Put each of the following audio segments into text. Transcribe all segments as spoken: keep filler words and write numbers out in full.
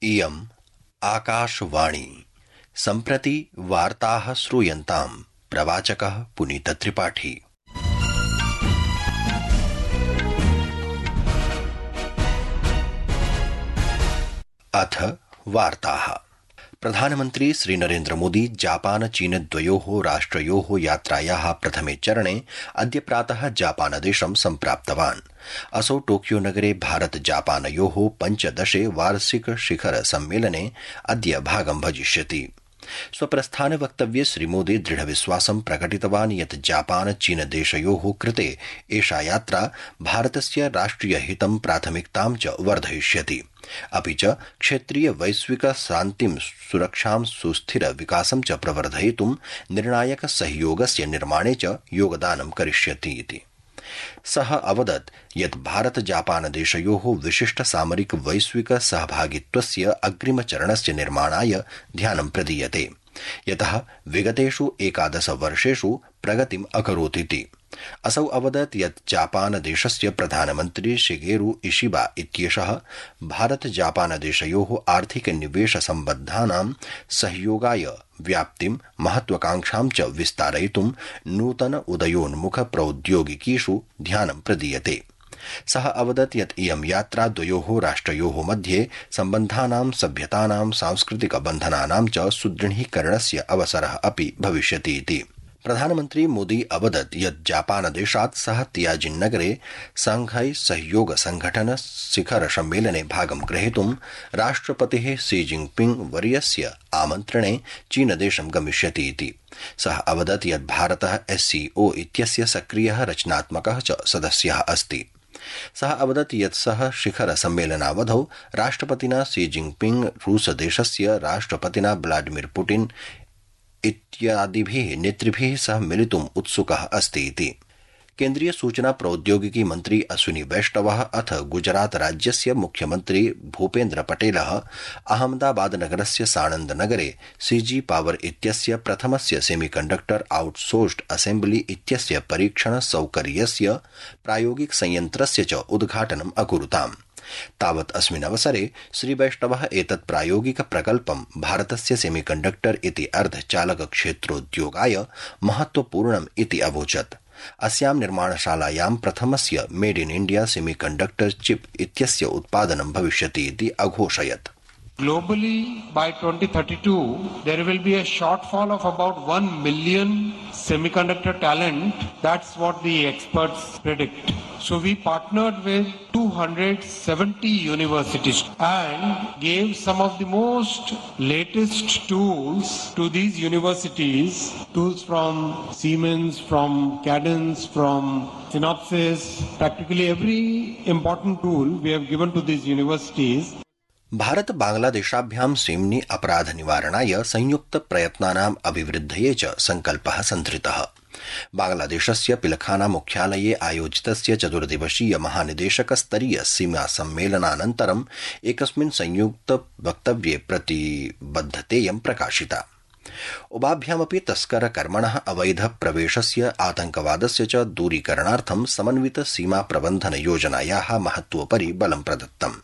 इयम् आकाशवाणी। सम्प्रति वार्ताः श्रूयन्ताम्। प्रवाचकः पुनीतत्रिपाठी। अथ वार्ताः। प्रधानमन्त्री श्रीनरेन्द्र मोदी जापान चीन द्वयोः राष्ट्रयोः यात्रायाः प्रथमे चरणे अद्य प्रातः जापानदेशं सम्प्राप्तवान्। असौ टोकियो नगरे भारत जापानयोः पञ्चदशे वार्षिक शिखर सम्मेलने अद्य भागं भजिष्यति। स्वप्रस्थान वक्तव्ये श्रीमोदी दृढविश्वासं प्रकटितवान् यत् जापान चीन देशयोः कृते एषा यात्रा भारतस्य राष्ट्रिय हितं प्राथमिकतां च वर्धयिष्यति, अपि च क्षेत्रीय वैश्विक शान्तिं सुरक्षां सुस्थिर विकासं च प्रवर्धयितुं निर्णायक सहयोगस्य निर्माणे च योगदानं करिष्यति इति। सः अवदत् यत् भारत जापान देशयोः विशिष्ट सामरिक वैश्विक सहभागित्वस्य अग्रिमचरणस्य निर्माणाय ध्यानं प्रदीयते, यतः विगतेषु एकादश वर्षेषु प्रगतिम् अकरोदिति। असौ अवदत् यत् जापान देशस्य प्रधानमन्त्री शिगेरु इशिबा इत्येषः भारत जापान देशयोः आर्थिक निवेश सम्बद्धानां सहयोगाय व्याप्तिं महत्वाकांक्षां च विस्तारयितुं नूतन उदयोन्मुख प्रौद्योगिकीषु ध्यानं प्रदीयते। सः अवदत् यत् इयं यात्रा द्वयोः राष्ट्रयोः मध्ये सम्बन्धानां सभ्यतानां सांस्कृतिक बन्धनानां च सुदृढीकरणस्य अवसरः अपि भविष्यति इति। प्रधानमन्त्री मोदी अवदत् यत् जापानदेशात् सः तियाजिन् नगरे शांघाई सहयोग संघटन शिखर सम्मेलने भागं ग्रहीतुं राष्ट्रपतिः शी जिनपिंग वर्यस्य आमन्त्रणे चीनदेशं गमिष्यति इति। सः अवदत् यत् भारतः एससीओ इत्यस्य सक्रियः रचनात्मकः च सदस्यः अस्ति। सः अवदत् यत् सः शिखर सम्मेलनावधौ राष्ट्रपतिना शी जिनपिंग रूसदेशस्य राष्ट्रपतिना व्लादिमीर पुतिन इत्यादिभिः नेतृभिः सह मिलितुम् उत्सुकः अस्ति इति। केन्द्रीय सूचना प्रौद्योगिकी मन्त्री अश्विनी वैष्णवः अथ गुजरात राज्यस्य मुख्यमन्त्री भूपेन्द्र पटेलः अहमदाबाद नगरस्य साणन्द नगरे सीजी पावर इत्यस्य प्रथमस्य सेमीकण्डक्टर आउटसोर्स्ड असेम्बली इत्यस्य परीक्षण सौकर्यस्य प्रायोगिक संयन्त्रस्य च उद्घाटनम् अकुरुताम्। तावत् अस्मिन् अवसरे श्रीवैष्णवः एतत् प्रायोगिक प्रकल्पं भारतस्य सेमीकण्डक्टर इति अर्धचालक क्षेत्रोद्योगाय महत्वपूर्णम् इति अवोचत्। अस्यां निर्माणशालायां प्रथमस्य मेड इन इंडिया सेमीकण्डक्टर चिप इत्यस्य उत्पादनं भविष्यति इति अघोषयत्। Globally, by twenty thirty-two, there will be a shortfall of about one million semiconductor talent. That's what the experts predict. So we partnered with two hundred seventy universities and gave some of the most latest tools to these universities, tools from Siemens, from Cadence, from Synopsys. Practically every important tool we have given to these universities. Bharata बांग्लादेशाभ्यां सीम्नि अपराध निवारणाय संयुक्त प्रयत्नानाम् अभिवृद्धये च संकल्पः संधृतः। बांग्लादेशस्य पिलखाना मुख्यालये आयोजितस्य चतुर्दिवसीय महानिदेशक स्तरीय सीमा सम्मेलनानन्तरम् एकस्मिन् संयुक्त वक्तव्ये प्रतिबद्धतेयं प्रकाशिता। उभाभ्यामपि तस्कर कर्मणः अवैध प्रवेशस्य आतंकवादस्य च दूरीकरणार्थं समन्वित सीमा प्रबन्धन योजनायाः महत्वोपरि बलं प्रदत्तम्।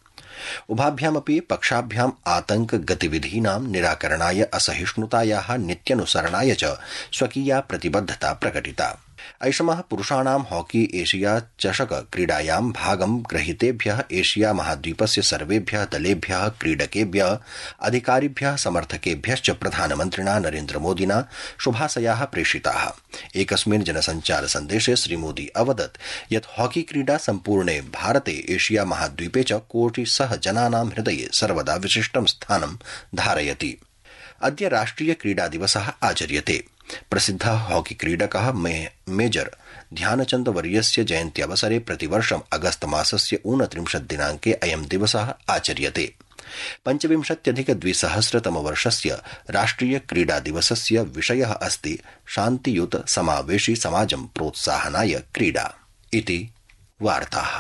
उभाभ्यामपि पक्षाभ्याम् आतंक गतिविधीनां निराकरणाय असहिष्णुतायाः नित्यनुसरणाय च स्वकीया प्रतिबद्धता प्रकटिता। ऐषमः पुरुषाणां हॉकी एशिया चषक क्रीडायां भागं ग्रहीतेभ्यः एशिया महाद्वीपस्य सर्वेभ्यः दलेभ्यः क्रीडकेभ्यः अधिकारिभ्यः समर्थकेभ्यश्च प्रधानमन्त्रिणा नरेन्द्र मोदिना शुभाशयाः प्रेषिताः। एकस्मिन् जनसञ्चार सन्देशे श्रीमोदी अवदत् यत् हॉकी क्रीडा सम्पूर्णे भारते एशिया महाद्वीपे च कोटिशः जनानां हृदये सर्वदा विशिष्टं स्थानं धारयति। अद्य राष्ट्रिय क्रीडा दिवसः आचर्यते। प्रसिद्धः हॉकी क्रीडकः मेजर ध्यानचन्द वर्यस्य जयन्त्यवसरे प्रतिवर्षम् अगस्त मासस्य ऊनत्रिंशत् दिनाङ्के अयं दिवसः आचर्यते। पञ्चविंशत्यधिक द्विसहस्रतमवर्षस्य राष्ट्रिय क्रीडा दिवसस्य विषयः अस्ति शान्तियुत समावेशी समाजं प्रोत्साहनाय क्रीडा इति वार्ताः।